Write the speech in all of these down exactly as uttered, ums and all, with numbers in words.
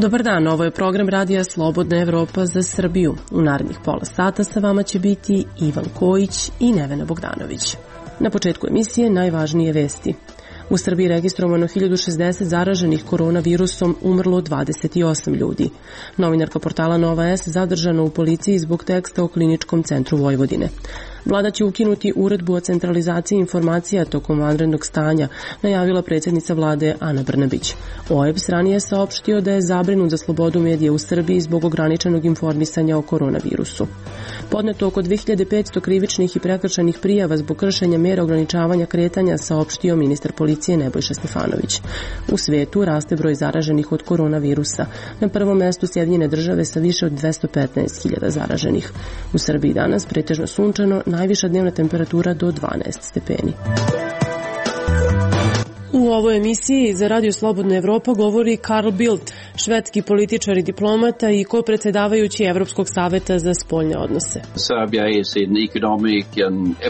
Dobar dan, ovo je program Radija Slobodna Evropa za Srbiju. U narednih pola sata sa vama će biti Ivan Kojić i Nevena Bogdanović. Na početku emisije najvažnije vesti. U Srbiji registrovano hiljadu šezdeset zaraženih koronavirusom, umrlo dvadeset osam ljudi. Novinarka portala Nova S zadržana u policiji zbog teksta o Kliničkom centru Vojvodine. Vlada će ukinuti uredbu o centralizaciji informacija tokom vanrednog stanja, najavila predsjednica vlade Ana Brnabić. O E B S ranije saopštio da je zabrinut za slobodu medija u Srbiji zbog ograničenog informisanja o koronavirusu. Podneto oko dve hiljade petsto krivičnih i prekršajnih prijava zbog kršenja mera ograničavanja kretanja, saopštio ministar policije Nebojša Stefanović. U svetu raste broj zaraženih od koronavirusa. Na prvom mestu Sjedinjene države sa više od dvesta petnaest hiljada zaraženih. U Srbiji danas pretežno sunčano, najviša dnevna temperatura do dvanaest stepeni. U ovoj emisiji za Radio Slobodna Evropa govori Carl Bildt, švedski političar i diplomata i ko-predsedavajući Evropskog saveta za spoljne odnose.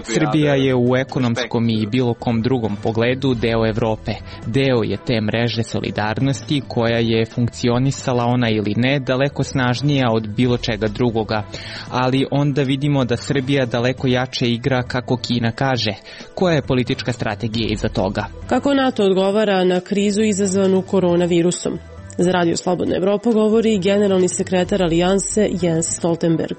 Srbija je u ekonomskom i bilo kom drugom pogledu deo Evrope. Deo je te mreže solidarnosti koja je funkcionisala, ona ili ne, daleko snažnija od bilo čega drugoga. Ali onda vidimo da Srbija daleko jače igra kako Kina kaže. Koja je politička strategija iza toga? Kako NATO odgovara na krizu izazvanu koronavirusom? Za Radio Slobodna Evropa govori generalni sekretar Alijanse Jens Stoltenberg.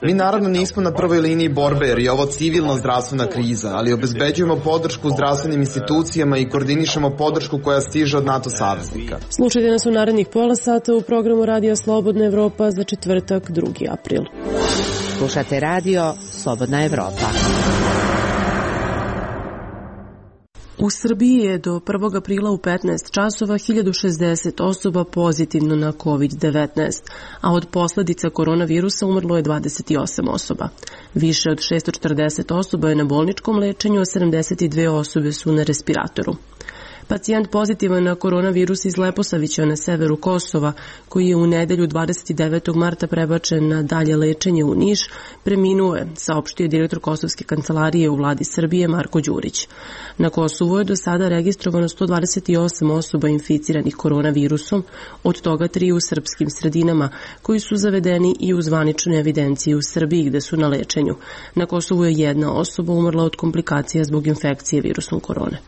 Mi naravno nismo na prvoj liniji borbe jer je ovo civilno zdravstvena kriza, ali obezbeđujemo podršku zdravstvenim institucijama i koordinišemo podršku koja stiže od NATO saveznika. Slušajte nas u narednih pola sata u programu Radio Slobodna Evropa za četvrtak, drugi april. Slušate Radio Slobodna Evropa. U Srbiji je do prvog aprila u petnaest časova hiljadu šezdeset osoba pozitivno na kovid devetnaest, a od posledica koronavirusa umrlo je dvadeset osam osoba. Više od šesto četrdeset osoba je na bolničkom lečenju, a sedamdeset dve osobe su na respiratoru. Pacijent pozitivan na koronavirus iz Leposavića na severu Kosova, koji je u nedelju dvadeset devetog marta prebačen na dalje lečenje u Niš, preminuo je, saopštio direktor Kosovske kancelarije u vladi Srbije Marko Đurić. Na Kosovu je do sada registrovano sto dvadeset osam osoba inficiranih koronavirusom, od toga tri u srpskim sredinama, koji su zavedeni i u zvaničnoj evidenciji u Srbiji gde su na lečenju. Na Kosovu je jedna osoba umrla od komplikacija zbog infekcije virusom korone.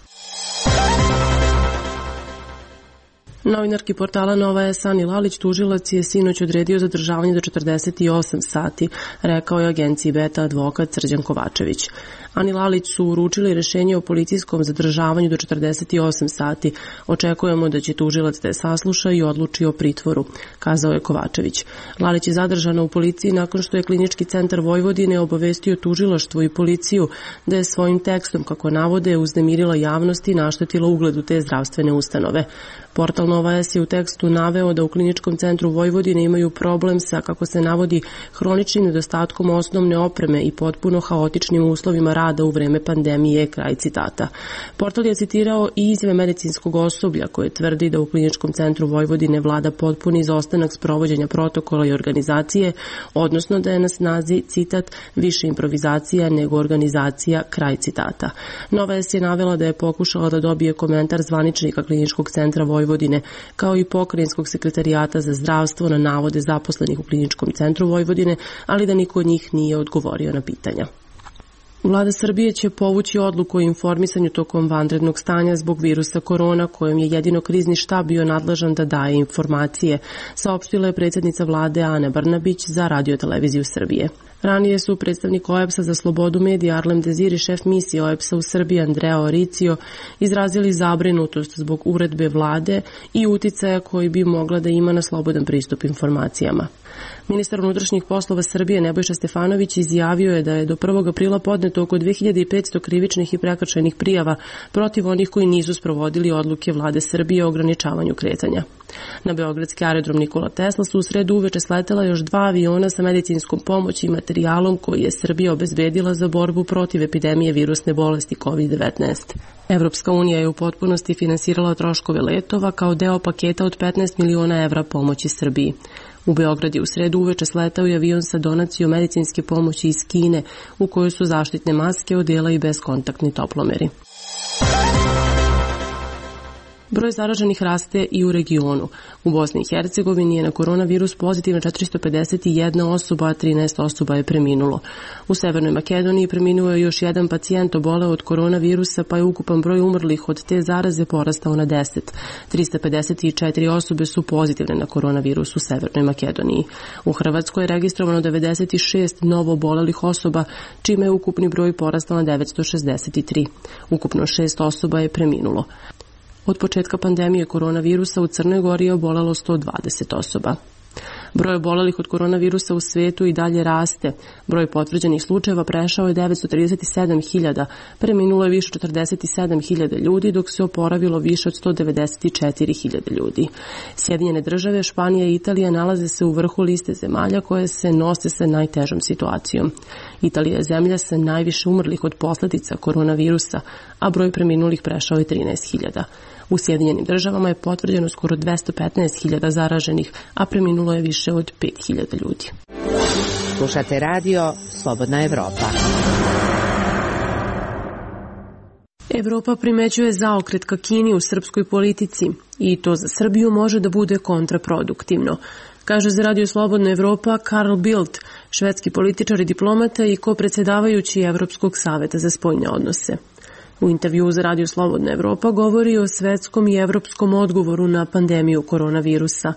Novinarki portala Nova S Ani Lalić tužilac je sinoć odredio zadržavanje do četrdeset osam sati, rekao je agenciji Beta advokat Srđan Kovačević. Ani Lalić su uručili rešenje o policijskom zadržavanju do četrdeset osam sati. Očekujemo da će tužilac da je sasluša i odluči o pritvoru, kazao je Kovačević. Lalić je zadržana u policiji nakon što je Klinički centar Vojvodine obavestio tužilaštvo i policiju da je svojim tekstom, kako navode, uznemirila javnost i naštetila ugledu te zdravstvene ustanove. Portal Nova S je u tekstu naveo da u Kliničkom centru Vojvodine imaju problem sa, kako se navodi, hroničnim nedostatkom osnovne opreme i potpuno haotičnim uslovima rada u vreme pandemije, kraj citata. Portal je citirao i izjave medicinskog osoblja koje tvrdi da u Kliničkom centru Vojvodine vlada potpuni izostanak sprovođenja protokola i organizacije, odnosno da je na snazi, citat, više improvizacija nego organizacija, kraj citata. Nova S je navela da je pokušala da dobije komentar zvaničnika Kliničkog centra Vojvodine Vojvodine, kao i Pokrajinskog sekretarijata za zdravstvo na navode zaposlenih u Kliničkom centru Vojvodine, ali da niko od njih nije odgovorio na pitanja. Vlada Srbije će povući odluku o informisanju tokom vanrednog stanja zbog virusa korona, kojem je jedino krizni štab bio nadležan da daje informacije, saopštila je predsjednica vlade Ana Brnabić za Radio-televiziju Srbije. Ranije su predstavnik O E B S-a za slobodu medija Arlem Dezir i šef misije O E B S-a u Srbiji Andrea Oricio izrazili zabrinutost zbog uredbe vlade i uticaja koji bi mogla da ima na slobodan pristup informacijama. Ministar unutrašnjih poslova Srbije Nebojša Stefanović izjavio je da je do prvog aprila podneto oko dve hiljade petsto krivičnih i prekršajnih prijava protiv onih koji nisu sprovodili odluke vlade Srbije o ograničavanju kretanja. Na beogradski aerodrom Nikola Tesla su u sredu uveče sletela još dva aviona sa medicinskom pomoći i materijalom koji je Srbija obezbedila za borbu protiv epidemije virusne bolesti kovid devetnaest. Evropska unija je u potpunosti finansirala troškove letova kao deo paketa od petnaest miliona evra pomoći Srbiji. U Beograd je u sredu uveče sletao i avion sa donacijom medicinske pomoći iz Kine, u kojoj su zaštitne maske, odela i bezkontaktni toplomeri. Broj zaraženih raste i u regionu. U Bosni i Hercegovini je na koronavirus pozitivna četiristo pedeset jedna osoba, a trinaest osoba je preminulo. U Severnoj Makedoniji preminuo je još jedan pacijent oboleo od koronavirusa, pa je ukupan broj umrlih od te zaraze porastao na deset. trista pedeset četiri osobe su pozitivne na koronavirus u Severnoj Makedoniji. U Hrvatskoj je registrovano devedeset šest novo obolelih osoba, čime je ukupni broj porastao na devetsto šezdeset tri. Ukupno šest osoba je preminulo. Od početka pandemije koronavirusa u Crnoj Gori je obolelo sto dvadeset osoba. Broj obolelih od koronavirusa u svetu i dalje raste. Broj potvrđenih slučajeva prešao je devetsto trideset sedam hiljada, preminulo je više četrdeset sedam hiljada ljudi, dok se oporavilo više od sto devedeset četiri hiljade ljudi. Sjedinjene države, Španija i Italija nalaze se u vrhu liste zemalja koje se nose sa najtežom situacijom. Italija je zemlja sa najviše umrlih od posljedica koronavirusa, a broj preminulih prešao je trinaest hiljada. U Sjedinjenim državama je potvrđeno skoro dvesta petnaest hiljada zaraženih, a preminulo je više od pet hiljada ljudi. Slušate radio Slobodna Evropa. Evropa primećuje zaokret ka Kini u srpskoj politici i to za Srbiju može da bude kontraproduktivno, kaže za Radio Slobodna Evropa Carl Bildt, švedski političar i diplomata i ko-predsjedavajući Evropskog saveta za spoljne odnose. U intervjuu za Radio Slobodna Evropa govori o svetskom i evropskom odgovoru na pandemiju koronavirusa,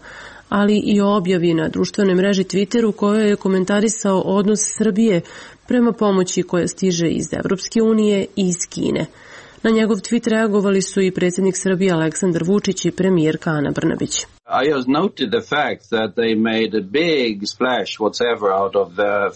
ali i o objavi na društvenoj mreži Twitter u kojoj je komentarisao odnos Srbije prema pomoći koja stiže iz Evropske unije i iz Kine. Na njegov tweet reagovali su i predsjednik Srbije Aleksandar Vučić i premijerka Ana Brnabić.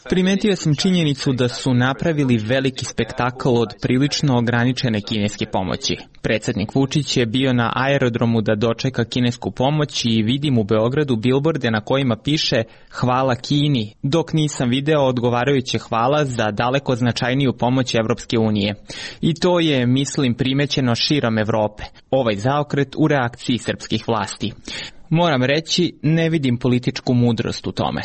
Primetio sam činjenicu da su napravili veliki spektakl od prilično ograničene kineske pomoći. Predsjednik Vučić je bio na aerodromu da dočeka kinesku pomoć i vidim u Beogradu bilborde na kojima piše hvala Kini, dok nisam video odgovarajuće hvala za daleko značajniju pomoć Evropske unije. I to je, mislim, primećeno širom Evrope. Ovaj zaokret u reakciji srpskih vlasti. Moram reći, ne vidim političku mudrost u tome.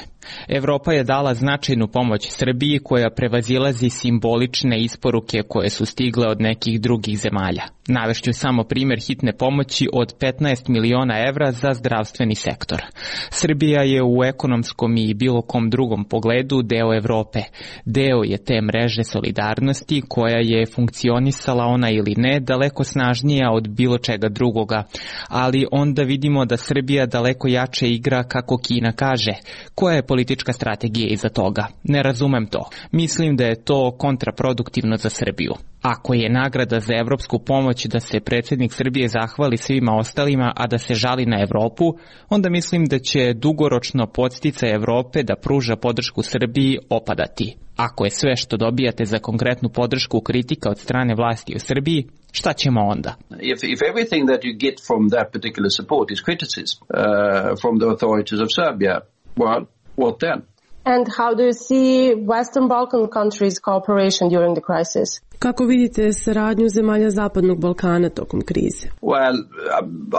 Evropa je dala značajnu pomoć Srbiji koja prevazilazi simbolične isporuke koje su stigle od nekih drugih zemalja. Navešću samo primjer hitne pomoći od petnaest miliona evra za zdravstveni sektor. Srbija je u ekonomskom i bilo kom drugom pogledu deo Evrope. Deo je te mreže solidarnosti koja je funkcionisala, ona ili ne, daleko snažnija od bilo čega drugoga. Ali onda vidimo da Srbija daleko jače igra kako Kina kaže. Koja je politička strategija iza toga? Ne razumem to. Mislim da je to kontraproduktivno za Srbiju. Ako je nagrada za evropsku pomoć da se predsjednik Srbije zahvali svima ostalima, a da se žali na Evropu, onda mislim da će dugoročno podsticaj Evrope da pruža podršku Srbiji opadati. Ako je sve što dobijate za konkretnu podršku kritika od strane vlasti u Srbiji, šta ćemo onda? If, if everything that you get from that particular support is criticism uh, from the authorities of Serbia, well, what then? And how do you see Western Balkan countries' cooperation during the crisis? Kako vidite saradnju zemalja Zapadnog Balkana tokom krize? Well,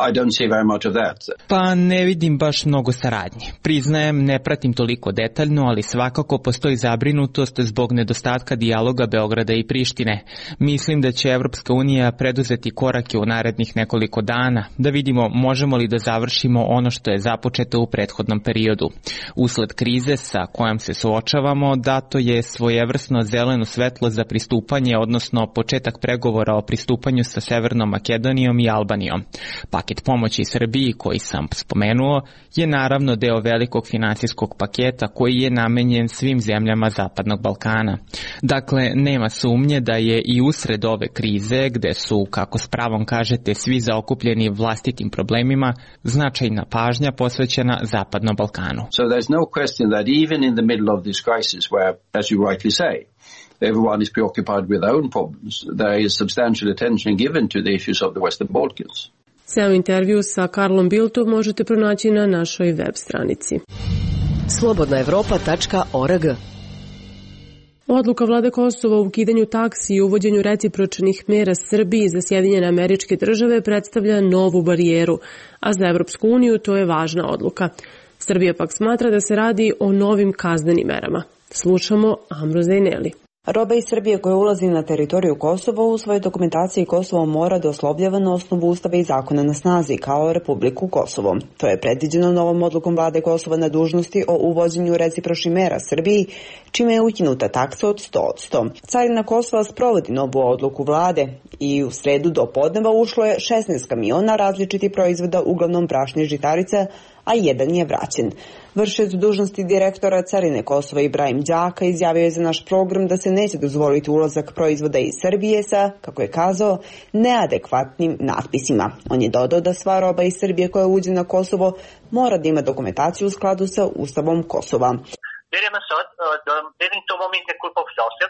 I don't see very much of that. Pa ne vidim baš mnogo saradnje. Priznajem, ne pratim toliko detaljno, ali svakako postoji zabrinutost zbog nedostatka dijaloga Beograda i Prištine. Mislim da će Evropska unija preduzeti korake u narednih nekoliko dana, da vidimo možemo li da završimo ono što je započeto u prethodnom periodu. Usled krize sa kojom se suočavamo, dato je svojevrsno zeleno svetlo za pristupanje, odnosno početak pregovora o pristupanju sa Severnom Makedonijom i Albanijom. Paket pomoći Srbiji koji sam spomenuo je naravno deo velikog finansijskog paketa koji je namenjen svim zemljama Zapadnog Balkana. Dakle, nema sumnje da je i usred ove krize, gde su, kako s pravom kažete, svi zaokupljeni vlastitim problemima, značajna pažnja posvećena Zapadnom Balkanu. So there's no question that even in the middle of this crisis where, as you rightly say, everyone is preoccupied with their own problems, there is substantial attention given to the issues of the Western Balkans. Ceo intervju sa Karlom Bildtom možete pronaći na našoj web stranici. slobodna evropa tačka org. Odluka vlade Kosova o ukidanju taksi i uvođenju recipročnih mera Srbiji za Sjedinjene Američke Države predstavlja novu barijeru, a za Evropsku uniju to je važna odluka. Srbija pak smatra da se radi o novim kaznenim merama. Slušamo Amro Zajneli. Roba iz Srbije koja ulazi na teritoriju Kosova u svojoj dokumentaciji Kosovo mora da oslovljava na osnovu ustava i zakona na snazi kao Republiku Kosovo. To je predviđeno novom odlukom vlade Kosova na dužnosti o uvođenju recipročnih mera Srbiji, čime je ukinuta taksa od sto posto. Carina Kosova sprovodi novu odluku vlade i u sredu do podneva ušlo je šesnaest kamiona različitih proizvoda, uglavnom brašna i žitarica, a jedan je vraćen. Vršilac dužnosti direktora Carine Kosova Ibrahim Đaka izjavio je za naš program da se neće dozvoliti ulazak proizvoda iz Srbije sa, kako je kazao, neadekvatnim natpisima. On je dodao da sva roba iz Srbije koja uđe na Kosovo mora da ima dokumentaciju u skladu sa Ustavom Kosova.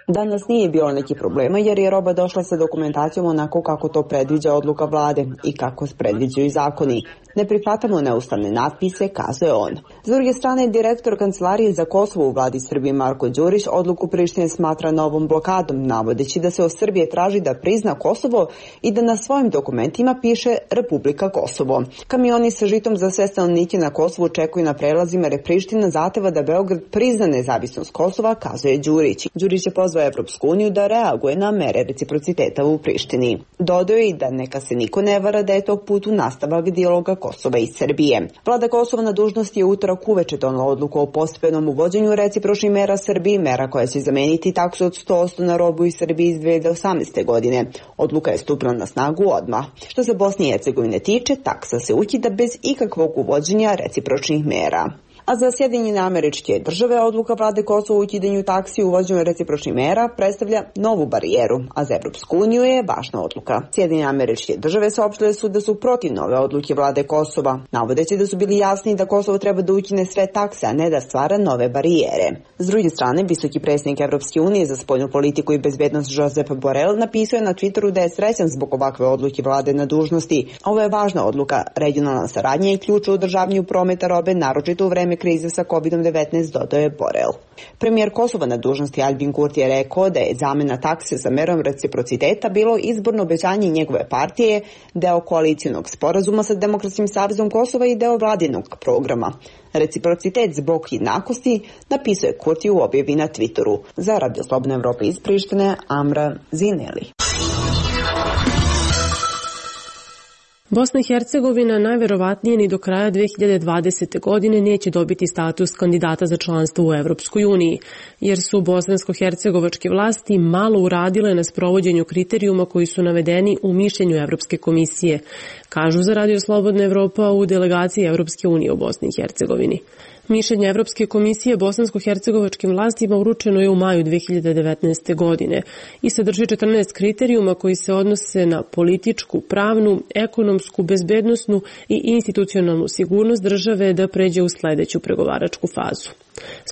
Danas nije bilo neki problema jer je roba došla sa dokumentacijom onako kako to predviđa odluka vlade i kako predviđaju zakoni. Ne prihvatamo neustavne natpise, kazuje on. S druge strane, direktor Kancelarije za Kosovo u vladi Srbije Marko Đurić odluku Prištine smatra novom blokadom, navodeći da se od Srbije traži da prizna Kosovo i da na svojim dokumentima piše Republika Kosovo. Kamioni sa žitom za sve stanovnike na Kosovu čekuju na prelazima jer Priština zahteva da Beograd prizna nezavisnost Kosova, kazuje Đurić. Đurić je pozvao Evropsku uniju da reaguje na mere reciprociteta u Prištini. Dodao je i da neka se niko ne vara da je tog putu nastavak dijaloga Kosova i Srbije. Vlada Kosova na dužnosti je utorak uveče donela odluku o postepenom uvođenju recipročnih mera Srbiji, mera koja će zameniti taksu od sto posto na robu iz Srbije iz dve hiljade osamnaeste. godine. Odluka je stupila na snagu odmah. Što se Bosne i Hercegovine tiče, taksa se ukida bez ikakvog uvođenja recipročnih mera. A za Sjedinjene Američke Države odluka vlade Kosova o ukidanju taksi i uvođenju recipročnih mera predstavlja novu barijeru, a za Evropsku uniju je važna odluka. Sjedinjene Američke Države saopštile su da su protiv nove odluke vlade Kosova, navodeći da su bili jasni da Kosovo treba da ukine sve takse, a ne da stvara nove barijere. S druge strane, visoki predstavnik Evropske unije za spoljnu politiku i bezbednost Josep Borrell napisao je na Twitteru da je srećan zbog ovakve odluke vlade na dužnosti. Ovo je važna odluka, regionalna saradnja i ključ u održavanju prometa robe, naročito u vreme krize sa kovid devetnaest, dodao je Borrell. Premijer Kosova na dužnosti Albin Kurti je rekao da je zamena takse za merom reciprociteta bilo izborno obećanje njegove partije, deo koalicijonog sporazuma sa Demokratskim savezom Kosova i deo vladinog programa. Reciprocitet zbog jednakosti, napisao je Kurti u objavi na Twitteru. Za Radio Slobodna Evropa iz Prištine, Amra Zineli. Bosna i Hercegovina najverovatnije ni do kraja dve hiljade dvadesete. godine neće dobiti status kandidata za članstvo u Evropskoj uniji, jer su bosansko-hercegovačke vlasti malo uradile na sprovođenju kriterijuma koji su navedeni u mišljenju Evropske komisije, kažu za Radio Slobodna Evropa u delegaciji Evropske unije u Bosni i Hercegovini. Mišljenje Evropske komisije bosansko-hercegovačkim vlastima uručeno je u maju dve hiljade devetnaeste. godine i sadrži četrnaest kriterijuma koji se odnose na političku, pravnu, ekonomsku, bezbednosnu i institucionalnu sigurnost države da pređe u sledeću pregovaračku fazu.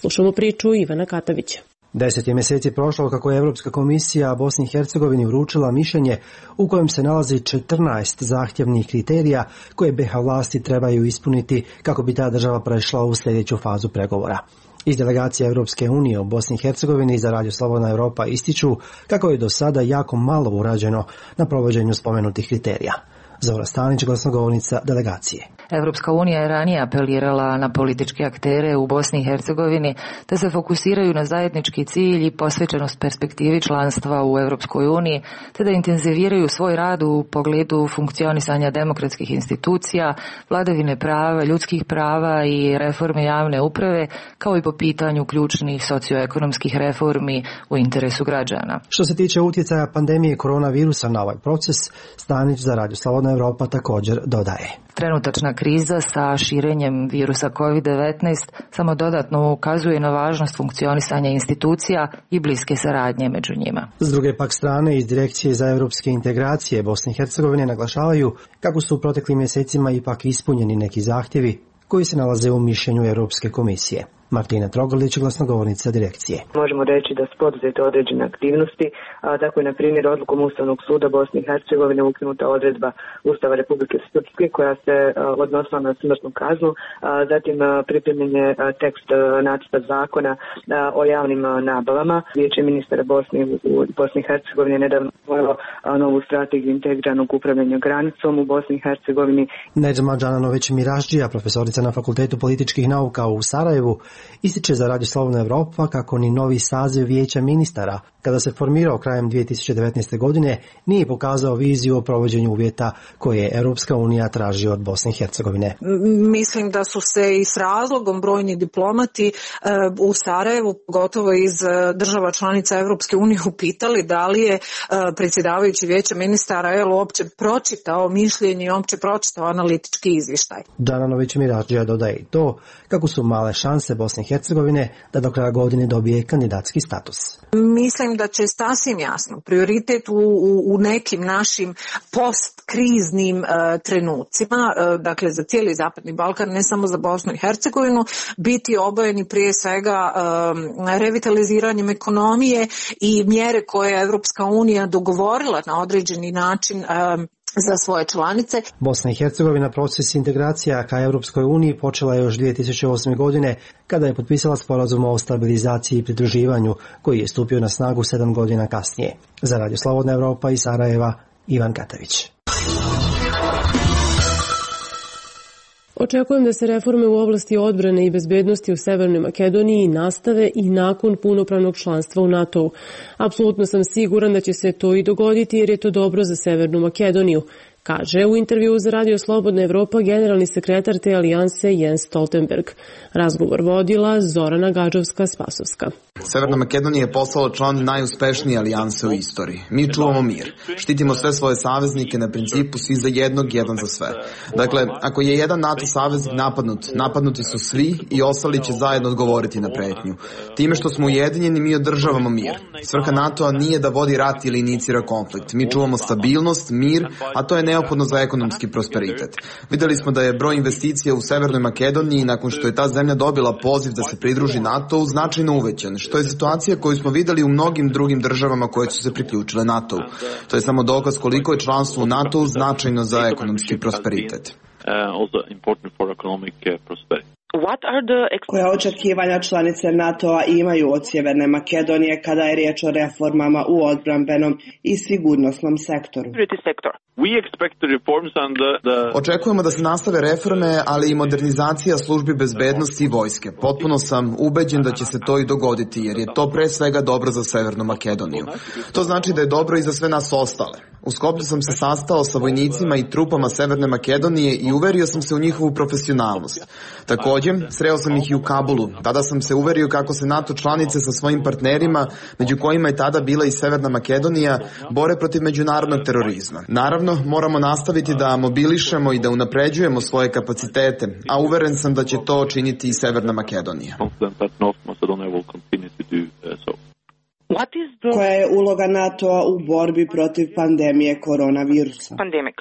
Slušamo priču Ivana Katavića. Deset je mjeseci prošlo kako je Evropska komisija Bosni i Hercegovini uručila mišljenje u kojem se nalazi četrnaest zahtjevnih kriterija koje be ha vlasti trebaju ispuniti kako bi ta država prešla u sljedeću fazu pregovora. Iz delegacije Evropske unije u Bosni i Hercegovini za Radio Slobodna Evropa ističu kako je do sada jako malo urađeno na provođenju spomenutih kriterija. Zora Stanić, glasnogovornica delegacije. Evropska unija je ranije apelirala na političke aktere u Bosni i Hercegovini da se fokusiraju na zajednički cilj i posvećenost perspektivi članstva u Evropskoj uniji, te da intenziviraju svoj rad u pogledu funkcionisanja demokratskih institucija, vladavine prava, ljudskih prava i reforme javne uprave, kao i po pitanju ključnih socioekonomskih reformi u interesu građana. Što se tiče utjecaja pandemije koronavirusa na ovaj proces, Stanić za Radio Slobodna Evropa također dodaje. Trenutačna kriza sa širenjem virusa kovid devetnaest samo dodatno ukazuje na važnost funkcionisanja institucija i bliske saradnje među njima. S druge pak strane, iz Direkcije za evropske integracije Bosne i Hercegovine naglašavaju kako su u proteklim mjesecima ipak ispunjeni neki zahtjevi koji se nalaze u mišljenju Europske komisije. Martina Trogolić, glasnogovornica direkcije. Možemo reći da su poduzete određene aktivnosti, a tako je na primjer odlukom Ustavnog suda Bosne i Hercegovine ukinuta odredba Ustava Republike Srpske koja se a, odnosila na smrtnu kaznu, a, zatim a, pripremljen je a, tekst a, nacrta zakona a, o javnim a, nabavama. Vijeće ministara Bosne u Bosni i Hercegovini nedavno usvojilo novu strategiju integriranog upravljanja granicom u Bosni i Hercegovini. Nedžma Džananović Miražđija, profesorica na Fakultetu političkih nauka u Sarajevu, ističe za Radio Slobodna Evropa kako ni novi saziv Vijeća ministara, kada se formirao krajem dvije tisuće devetnaeste. godine, nije pokazao viziju o provođenju uvjeta koje je Europska unija traži od Bosne i Hercegovine. Mislim da su se i s razlogom brojni diplomati u Sarajevu, gotovo iz država članica Europske unije, upitali da li je predsjedavajući Vijeća ministara jel, uopće pročitao mišljenje i uopće pročitao analitički izvještaj. Đananović Mirađija dodaje i to kako su male šanse Bosne i Hercegovine da do kraja godine dobije kandidatski status. Mislim da će sasvim jasno prioritet u, u, u nekim našim postkriznim uh, trenucima, uh, dakle za cijeli Zapadni Balkan, ne samo za Bosnu i Hercegovinu, biti obojeni prije svega um, revitaliziranjem ekonomije i mjere koje je Evropska unija dogovorila na određeni način um, za svoje članice. Bosna i Hercegovina proces integracija ka Europskoj uniji počela je još dvije tisuće osme. godine kada je potpisala sporazum o stabilizaciji i pridruživanju koji je stupio na snagu sedam godina kasnije. Za Radio Slobodna Evropa iz Sarajeva, Ivan Katavić. Očekujem da se reforme u oblasti odbrane i bezbednosti u Severnoj Makedoniji nastave i nakon punopravnog članstva u NATO-u. Apsolutno sam siguran da će se to i dogoditi jer je to dobro za Severnu Makedoniju, kaže u intervjuu za Radio Slobodna Evropa generalni sekretar te alijanse Jens Stoltenberg. Razgovor vodila Zorana Gadžovska-Spasovska. Severna Makedonija je postala član najuspešnije alijanse u istoriji. Mi čuvamo mir. Štitimo sve svoje saveznike na principu svi za jednog, jedan za sve. Dakle, ako je jedan NATO saveznik napadnut, napadnuti su svi i ostali će zajedno odgovoriti na pretnju. Time što smo ujedinjeni, mi održavamo mir. Svrha NATO-a nije da vodi rat ili inicira konflikt. Mi čuvamo stabilnost, mir, a to je neophodno za ekonomski prosperitet. Videli smo da je broj investicija u Severnoj Makedoniji nakon što je ta zemlja dobila poziv da se pridruži NATO-u značajno uvećan, što je situacija koju smo videli u mnogim drugim državama koje su se priključile NATO-u. To je samo dokaz koliko je članstvo u NATO-u značajno za ekonomski prosperitet. Koja očekivanja članice NATO-a imaju od Sjeverne Makedonije kada je riječ o reformama u odbrambenom i sigurnosnom sektoru? Očekujemo da se nastave reforme, ali i modernizacija službi bezbednosti i vojske. Potpuno sam ubeđen da će se to i dogoditi, jer je to pre svega dobro za Severnu Makedoniju. To znači da je dobro i za sve nas ostale. U Skoplju sam se sastao sa vojnicima i trupama Severne Makedonije i uverio sam se u njihovu profesionalnost. Također, sreo sam ih i u Kabulu. Tada sam se uverio kako se NATO članice sa svojim partnerima, među kojima je tada bila i Severna Makedonija, bore protiv međunarodnog terorizma. Naravno, moramo nastaviti da mobilišemo i da unapređujemo svoje kapacitete, a uveren sam da će to činiti i Severna Makedonija. Koja je uloga NATO-a u borbi protiv pandemije koronavirusa? Pandemic.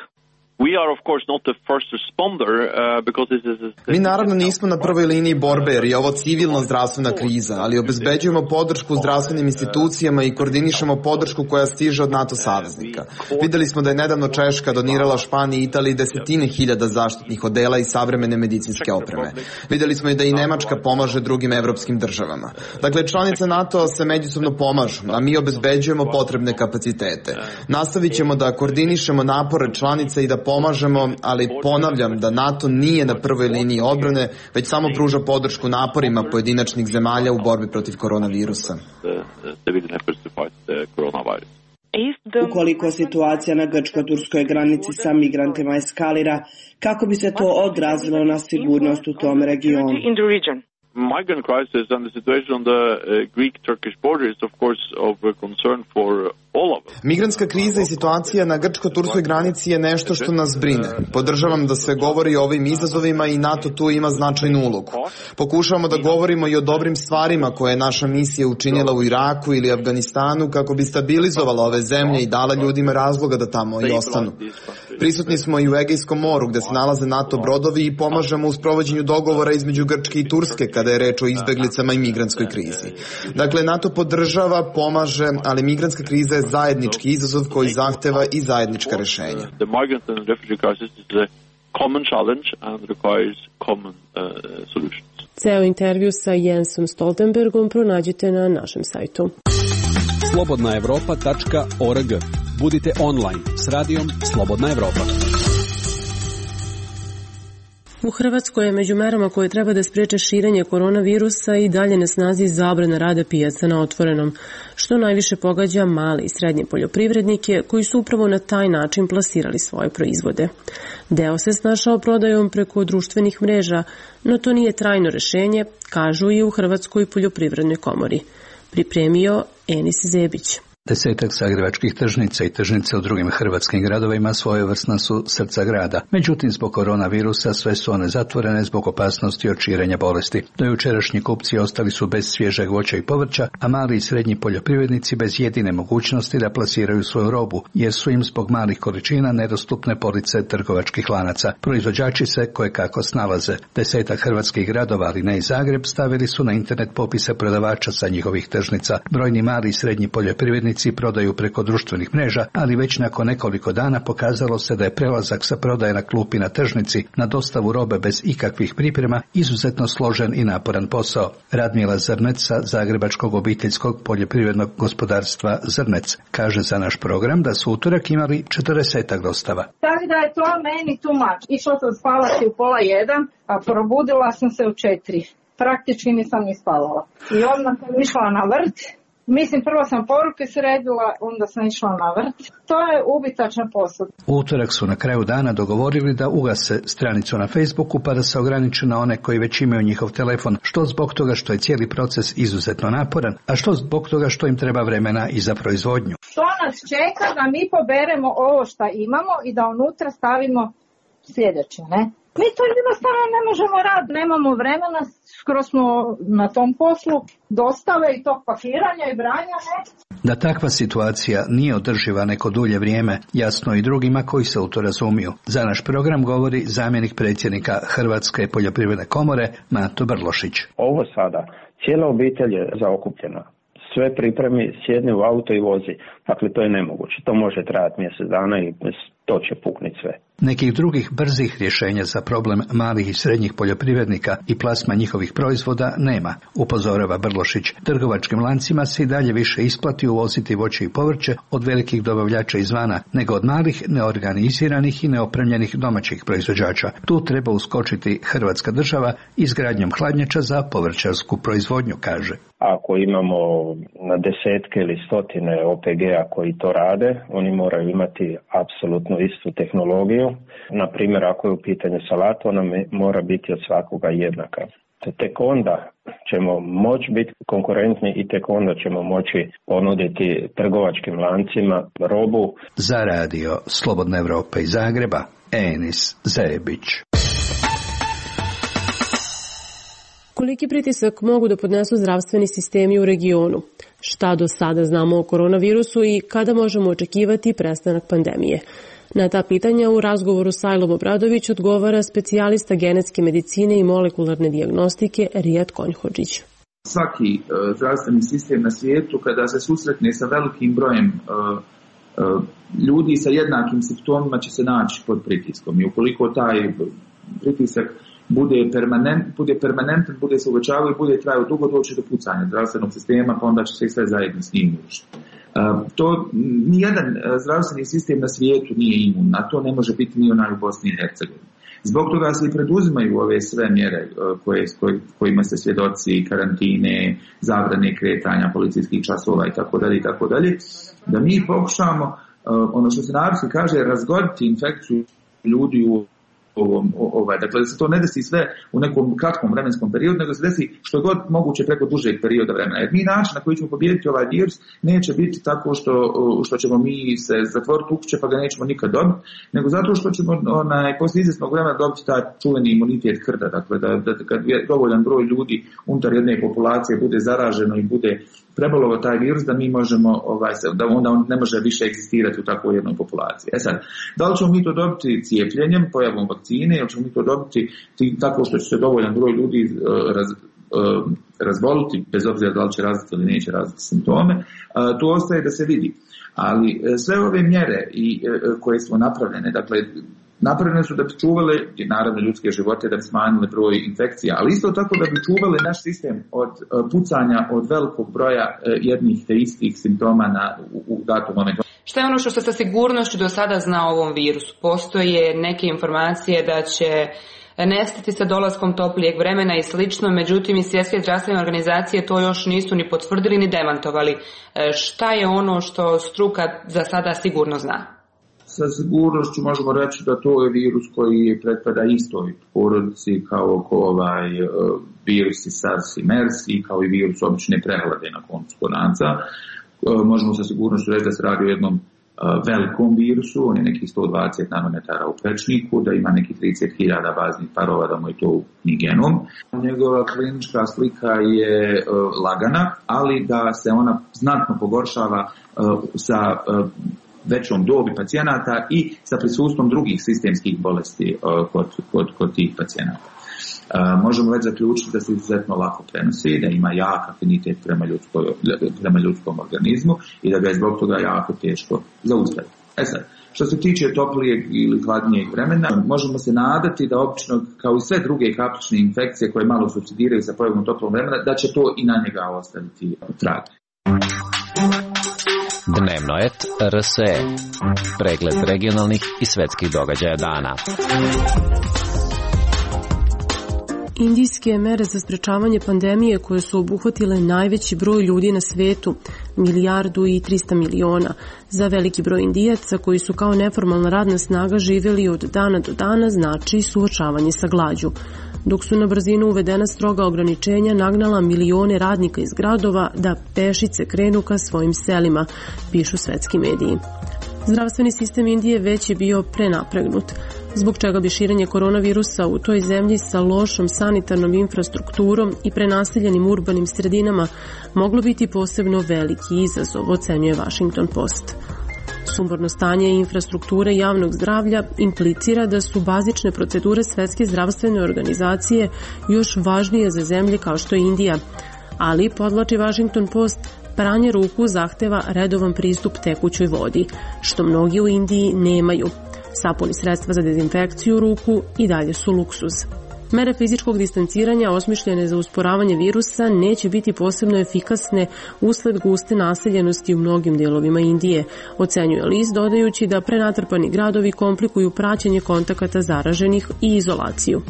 Mi naravno nismo na prvoj liniji borbe jer je ovo civilna zdravstvena kriza, ali obezbeđujemo podršku zdravstvenim institucijama i koordinišemo podršku koja stiže od NATO saveznika. Videli smo da je nedavno Češka donirala Španiji i Italiji desetine hiljada zaštitnih odela i savremene medicinske opreme. Videli smo i da i Nemačka pomaže drugim evropskim državama. Dakle, članice NATO se međusobno pomažu, a mi obezbeđujemo potrebne kapacitete. Nastavit ćemo da koordinišemo napore članice i da pomažemo, ali ponavljam da NATO nije na prvoj liniji odbrane, već samo pruža podršku naporima pojedinačnih zemalja u borbi protiv koronavirusa. Ukoliko situacija na grčko-turskoj granici sa migrantima eskalira, kako bi se to odrazilo na sigurnost u tom regionu? Migrant crisis and the situation on the uh, Greek-Turkish border is of course of concern for all of us. Migrantska kriza i situacija na grčko-turskoj granici je nešto što nas brine. Podržavam da se govori o ovim izazovima i NATO tu ima značajnu ulogu. Pokušavamo da govorimo i o dobrim stvarima koje je naša misija učinila u Iraku ili Afganistanu kako bi stabilizovala ove zemlje i dala ljudima razloga da tamo i ostanu. Prisutni smo i u Egejskom moru gde se nalaze NATO brodovi i pomažemo u sprovođenju dogovora između Grčke i Turske kada je reč o izbeglicama i migrantskoj krizi. Dakle, NATO podržava, pomaže, ali migrantska kriza je zajednički izazov koji zahteva i zajednička rešenja. Ceo intervju sa Jensom Stoltenbergom pronađite na našem sajtu. slobodna evropa tačka org. Budite online s radijom Slobodna Evropa. U Hrvatskoj je među merama koje treba da spreče širenje koronavirusa i dalje na snazi zabrana rada pijaca na otvorenom, što najviše pogađa male i srednje poljoprivrednike koji su upravo na taj način plasirali svoje proizvode. Deo se snašao prodajom preko društvenih mreža, no to nije trajno rešenje, kažu i u Hrvatskoj poljoprivrednoj komori. Pripremio Enis Zebić. Desetak zagrebačkih tržnica i tržnice u drugim hrvatskim gradovima svojevrsna su srca grada. Međutim, zbog koronavirusa sve su one zatvorene zbog opasnosti od širenja bolesti. Dojučerašnji kupci ostali su bez svježeg voća i povrća, a mali i srednji poljoprivrednici bez jedine mogućnosti da plasiraju svoju robu, jer su im zbog malih količina nedostupne police trgovačkih lanaca. Proizvođači se kojekako snalaze. Desetak hrvatskih gradova, ali ne i Zagreb, stavili su na internet popise prodavača sa njihovih tržnica. Brojni mali i srednji poljoprivrednici prodaju preko društvenih mreža, ali već nakon nekoliko dana pokazalo se da je prelazak sa prodaje na klupi na tržnici na dostavu robe bez ikakvih priprema izuzetno složen i naporan posao. Radmila Zrnec sa Zagrebačkog obiteljskog poljoprivrednog gospodarstva Zrnec kaže za naš program da su utorak imali četrdesetak dostava. Tako da je to meni too much. Išla sam spavati u pola jedan, a probudila sam se u četiri. Praktički nisam ni spavala. I odmah sam išla na vrt. Mislim, prvo sam poruke sredila, onda sam išla na vrt. To je ubitačan posao. U utorak su na kraju dana dogovorili da ugase stranicu na Facebooku pa da se ograniče na one koji već imaju njihov telefon, što zbog toga što je cijeli proces izuzetno naporan, a što zbog toga što im treba vremena i za proizvodnju. To nas čeka da mi poberemo ovo što imamo i da unutra stavimo sljedeće, ne? Mi to jednostavno ne možemo raditi, nemamo vremena, skoro smo na tom poslu, dostave i tog pakiranja i branja, ne? Da takva situacija nije održiva neko dulje vrijeme, jasno i drugima koji se u to razumiju. Za naš program govori zamjenik predsjednika Hrvatske poljoprivredne komore Mato Brlošić. Ovo sada, cijela obitelj je zaokupljena. Sve pripremi, sjedni u auto i vozi. Dakle, to je nemoguće. To može trajati mjesec dana i to će pukniti sve. Nekih drugih brzih rješenja za problem malih i srednjih poljoprivrednika i plasma njihovih proizvoda nema, upozorava Brlošić. Trgovačkim lancima se i dalje više isplati uvoziti voće i povrće od velikih dobavljača izvana, nego od malih, neorganiziranih i neopremljenih domaćih proizvođača. Tu treba uskočiti Hrvatska država izgradnjom hladnjača za povrćarsku proizvodnju, kaže. Ako imamo na desetke ili stotine O P G-a koji to rade, oni moraju imati apsolutno istu tehnologiju. Na primjer, ako je u pitanju salata, ona mora biti od svakoga jednaka. Tek onda ćemo moći biti konkurentni i tek onda ćemo moći ponuditi trgovačkim lancima robu. Za radio Slobodna Evropa iz Zagreba, Enis Zebić. Koliki pritisak mogu da podnesu zdravstveni sistemi u regionu? Šta do sada znamo o koronavirusu i kada možemo očekivati prestanak pandemije? Na ta pitanja u razgovoru Sajlom Obradović odgovara specijalista genetske medicine i molekularne dijagnostike Rijad Konjhodžić. Svaki uh, zdravstveni sistem na svijetu kada se susretne sa velikim brojem uh, uh, ljudi sa jednakim simptomima će se naći pod pritiskom i ukoliko taj pritisak bude permanent, bude permanentan, bude se uvećavao i bude trajao dugo, doći do pucanja zdravstvenog sistema, pa onda će se sve zajedno s njim urušiti. Uh, to nijedan zdravstveni sistem na svijetu nije imun, na to ne može biti ni onaj u Bosni i Hercegovini. Zbog toga se i preduzimaju ove sve mjere uh, koje, koj, kojima se svjedoci, karantine, zabrane kretanja, policijskih časova i tako dalje i tako dalje, da mi pokušamo, uh, ono što se narodski kaže, razgoditi infekciju ljudi u Ovom, ovaj, dakle, da se to ne desi sve u nekom kratkom vremenskom periodu, nego se desi što god moguće preko dužeg perioda vremena. Jer mi način na koji ćemo pobijediti ovaj virus neće biti tako što, što ćemo mi se zatvoriti u kuće pa ga nećemo nikad dobiti, nego zato što ćemo onaj, poslije izvjesnog vremena dobiti taj čuveni imunitet krda. Dakle, da, da kad je dovoljan broj ljudi unutar jedne populacije bude zaraženo i bude prebolovo taj virus, da mi možemo, ovaj, da onda on ne može više egzistirati u takvoj jednoj populaciji. E sad, da li ćemo mi to dobiti cijepljenjem, pojavom vakcine, ili ćemo mi to dobiti tako što će se dovoljan broj ljudi uh, raz, uh, razboliti, bez obzira da li će razviti ili neće razviti simptome, uh, tu ostaje da se vidi. Ali uh, sve ove mjere i, uh, koje smo napravljene, dakle, napravljene su da bi čuvale, naravno, ljudske živote, da bi smanjile broj infekcija, ali isto tako da bi čuvale naš sistem od uh, pucanja od velikog broja uh, jednih te istih simptoma na, u, u datom momentu. Šta je ono što se sa sigurnošću do sada zna o ovom virusu? Postoje neke informacije da će nestati sa dolaskom toplijeg vremena i slično, međutim i svjetske zdravstvene organizacije to još nisu ni potvrdili ni demantovali. Šta je ono što struka za sada sigurno zna? Sa sigurnošću možemo reći da to je virus koji pretpada istoj porodici kao ovaj virusi SARS i MERS i kao i virus obične prehlade na koncu konaca. Možemo sa sigurnošću reći da se radi o jednom velikom virusu, on je nekih sto dvadeset nanometara u prečniku, da ima nekih trideset hiljada baznih parova, da mu je to ukupni genom. Njegova klinička slika je lagana, ali da se ona znatno pogoršava sa većom dobi pacijenata i sa prisustvom drugih sistemskih bolesti kod, kod, kod tih pacijenata. Uh, možemo već zaključiti da se izuzetno lako prenosi, da ima jak afinitet prema, ljudsko, prema ljudskom organizmu i da ga je zbog toga jako teško zaustaviti. E sad, što se tiče toplijeg ili hladnijeg vremena, možemo se nadati da obično, kao i sve druge kaplične infekcije koje malo supsidiraju sa pojavom toplog vremena, da će to i na njega ostaviti trag. Dnevno et R S E. Pregled regionalnih i svetskih događaja dana. Indijske mere za sprečavanje pandemije koje su obuhvatile najveći broj ljudi na svetu, milijardu i trista miliona, za veliki broj Indijaca koji su kao neformalna radna snaga živjeli od dana do dana znači suočavanje sa glađu. Dok su na brzinu uvedena stroga ograničenja nagnala milione radnika iz gradova da pešice krenu ka svojim selima, pišu svetski mediji. Zdravstveni sistem Indije već je bio prenapregnut, zbog čega bi širenje koronavirusa u toj zemlji sa lošom sanitarnom infrastrukturom i prenaseljenim urbanim sredinama moglo biti posebno veliki izazov, ocenjuje Washington Post. Sumborno stanje infrastrukture javnog zdravlja implicira da su bazične procedure Svetske zdravstvene organizacije još važnije za zemlje kao što je Indija, ali, podvlači Washington Post, pranje ruku zahteva redovan pristup tekućoj vodi, što mnogi u Indiji nemaju. Sapuni sredstva za dezinfekciju ruku i dalje su luksuz. Mere fizičkog distanciranja osmišljene za usporavanje virusa neće biti posebno efikasne usled guste naseljenosti u mnogim delovima Indije, ocenjuje list dodajući da prenatrpani gradovi komplikuju praćenje kontakata zaraženih i izolaciju.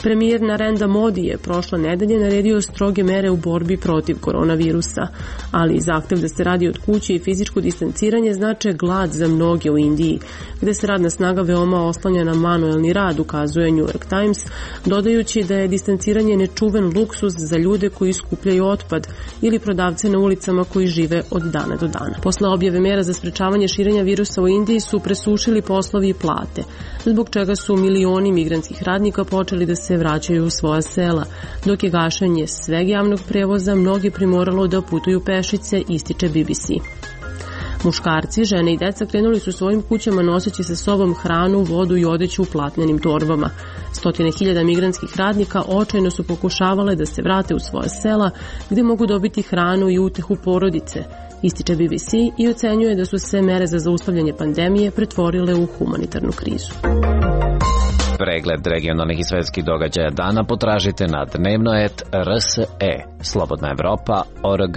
Premijer Narendra Modi je prošle nedelje naredio stroge mere u borbi protiv koronavirusa, ali zahtev da se radi od kuće i fizičko distanciranje znače glad za mnoge u Indiji, gde se radna snaga veoma oslanja na manuelni rad, ukazuje New York Times, dodajući da je distanciranje nečuven luksuz za ljude koji skupljaju otpad ili prodavce na ulicama koji žive od dana do dana. Posle objave mera za sprečavanje širenja virusa u Indiji su presušili poslovi i plate, zbog čega su milioni migrantskih radnika počeli da se vraćaju u svoja sela, dok je gašenje sveg javnog prevoza mnogi primoralo da putuju pešice, ističe B B C. Muškarci, žene i deca krenuli su svojim kućama noseći sa sobom hranu, vodu i odeću u platnenim torbama. Stotine hiljada migrantskih radnika očajno su pokušavale da se vrate u svoja sela gde mogu dobiti hranu i utehu porodice, ističe B B C i ocenjuje da su se mere za zaustavljanje pandemije pretvorile u humanitarnu krizu. Pregled regionalnih i svetskih događaja dana potražite na dnevno et R S E. Slobodna Evropa точка org.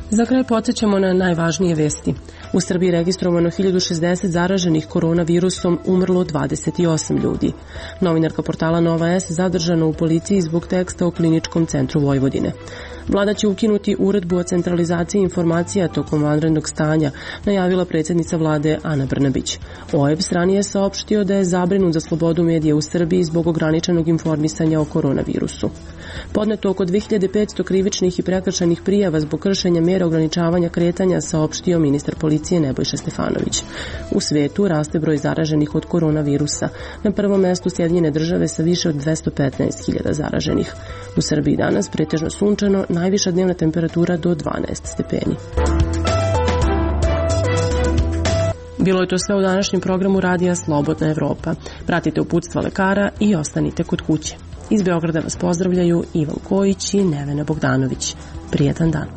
Za kraj podsjećamo na najvažnije vesti. U Srbiji registrovano hiljadu šezdeset zaraženih koronavirusom, umrlo dvadeset osam ljudi. Novinarka portala Nova S zadržana u policiji zbog teksta o kliničkom centru Vojvodine. Vlada će ukinuti uredbu o centralizaciji informacija tokom vanrednog stanja, najavila predsjednica vlade Ana Brnabić. O E B S ranije saopštio da je zabrinut za slobodu medija u Srbiji zbog ograničenog informisanja o koronavirusu. Podneto oko dve hiljade petsto krivičnih i prekršajnih prijava zbog kršenja mera ograničavanja kretanja, saopštio ministar policije Nebojša Stefanović. U svetu raste broj zaraženih od koronavirusa. Na prvom mestu Sjedinjene države sa više od dvesta petnaest hiljada zaraženih. U Srbiji danas pretežno sunčano, najviša dnevna temperatura do dvanaest stepeni. Bilo je to sve u današnjem programu Radija Slobodna Evropa. Pratite uputstva lekara i ostanite kod kuće. Iz Beograda vas pozdravljaju Ivan Kojić i Nevena Bogdanović. Prijetan dan.